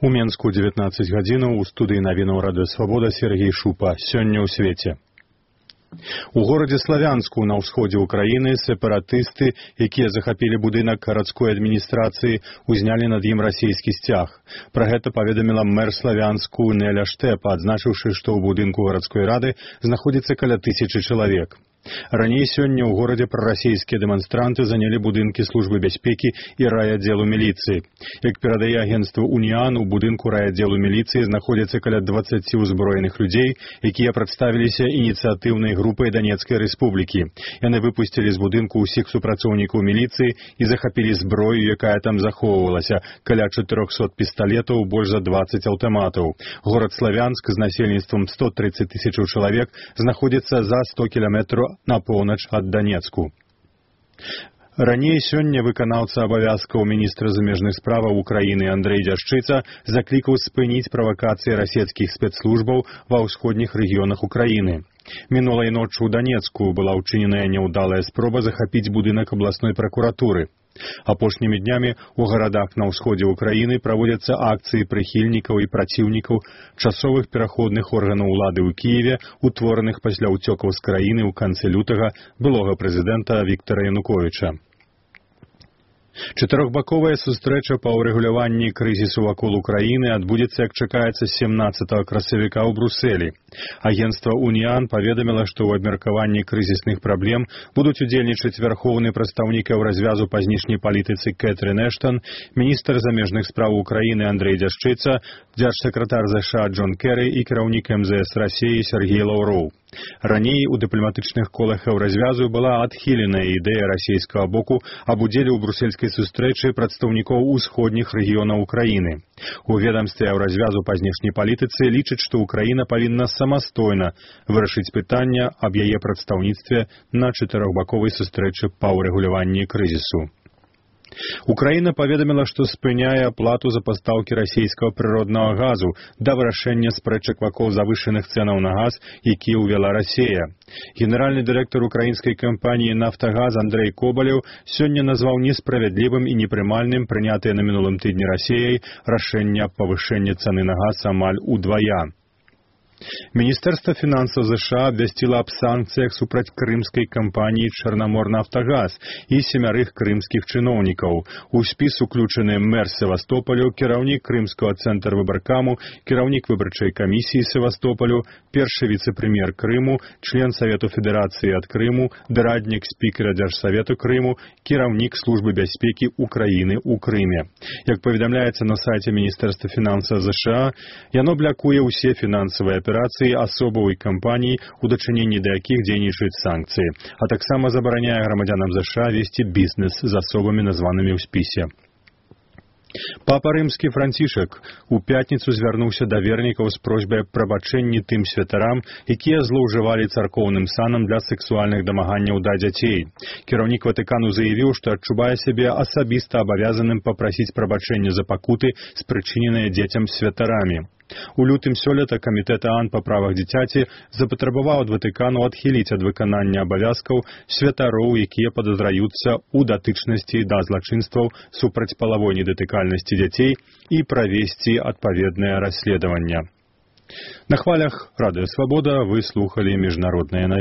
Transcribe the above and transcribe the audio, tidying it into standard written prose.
У Менску 19 гадзінаў у студыі навінаў Радыё Свабода Сергей Шупа. Сёння ў свеце. У горадзе Славянску на ўсходзе ўкраіны сепаратысты, якія захапілі будынак гарадской адміністрацыі, узнялі над ім расійскі сцяг. Пра гэта паведаміла мэр Славянску Неля Штэпа, адзначыўшы, што ў будынку гарадской рады знаходзіцца каля 1000 чалавек. Раней сёння ў горадзе прарасійскія дэманстранты занялі будынкі службы бяспекі і райаддзелу міліцыі. Як перадае агенцтва «Уніан», у будынку райаддзелу міліцыі знаходзіцца каля 20 ўзброеных людзей, якія прадставіліся ініцыятыўнай групай Данецкай рэспублікі. Яны выпусцілі з будынку ўсіх супрацоўнікаў міліцыі і захапілі зброю, якая там захоўвалася, каля 400 пісталетаў, больш за 20 аўтаматаў. Горад Славянск з насельніцтвам 130 000 чалавек знаходзіцца за 100 кіламетраў на поўнач ад Данецку. Раней сёння выканаўца абавязкаў міністра замежных справаў Украіны Андрэй Дзяшчыца заклікаў спыніць правакацыі расійскіх спецслужбаў ва ўсходніх рэгіёнах Украіны. Мінулай ноччу ў Данецку была ўчыненая няўдалая спроба захапіць будынак абласной пракуратуры. Апошнімі днямі ў гарадах на ўсходзе ўкраіны праводзяцца акцыі прыхільнікаў і праціўнікаў часовых пераходных органаў улады ў Кіеве, утвораных пасля ўцёкаў з краіны ў канцы лютага былога прэзідэнта Віктара Януковіча. Чатырохбаковая сустрэча па ўрэгуляванні крызісу вакол Украіны адбудзецца, як чакаецца, 17 красавіка ў Брусэлі. Агенцтва «Уніан» паведаміла, што ў абмеркаванні крызісных праблем будуць удзельнічаць вярхоўны прадстаўнік развязу па знешняй палітыцы Кэтрын Эштан, міністр замежных спраў Украіны Андрэй Дзяшчыца, дзяржсакратар ЗША Джон Кэры і кіраўнік МЗС Расіі Сергей Лаўроў. Раней у дыпламатычных колах развязу была адхіленая ідэя расійскага боку аб удзеле ў брусельскай сустрэчы прадстаўнікоў усходніх рэгіёнаў Украіны. У ведамстве развязу па знешняй палітыцы лічаць, што Украіна павінна самастойна вырашыць пытанне аб яе прадстаўніцтве на чатырохбаковай сустрэчы па ўрэгуляванні крызісу. Украіна паведаміла, што спыняе аплату за пастаўкі расійскага прыроднага газу да вырашэння спрэчак вакол завышаных цэнаў на газ, якія ўвяла Расія. Генеральны дырэктар украінскай кампаніі «Нафтагаз» Андрэй Кобалеў сёння назваў несправядлівым і непрымальным прынятае на мінулым тыдні Расіяй рашэнне аб павышэнні цаны на газ амаль удвая. Міністэрства фінансаў ЗША абвясціла аб санкцыях супраць крымскай кампаніі «Чарнаморнафтагаз» і 7 крымскіх чыноўнікаў. У спіс уключаны мэр Севастополю, кіраўнік крымскага цэнтра выбаркаму, кіраўнік выбарчай камісіі Севастополю, першы віцэ-прэм'ер Крыму, член Савету Федэрацыі ад Крыму, дараднік спікера Дзяржсавету Крыму, кіраўнік службы бяспекі Украіны ў Крыме. Як паведамляецца на сайце Міністэрства фінансаў ЗША, яно блакуе ўсе фінансавыя аперацыі асобаў і кампаній, у дачыненні да якіх дзейнічаюць санкцыі, а таксама забараняе грамадзянам ЗША весці бізнес з асобамі, названымі ў спісе. Папа рымскі Францішак у пятніцу звярнуўся да вернікаў з просьбай аб прабачэнні тым святарам, якія злоўжывалі царкоўным санам для сэксуальных дамаганняў да дзяцей. Кіраўнік Ватыкану заявіў, што адчувае сябе асабіста абавязаным папрасіць прабачэння за пакуты, спрычыненыя дзецям святарамі. У лютым сёлета камітэт ААН па правах дзіцяці запатрабаваў ад Ватыкану адхіліць ад выканання абавязкаў святароў, якія падазраюцца ў датычнасці да злачынстваў супраць палавой недатыкальнасці дзяцей і правесці адпаведнае расследаванне. На хвалях Радыё Свабода вы слухалі міжнародныя навіны.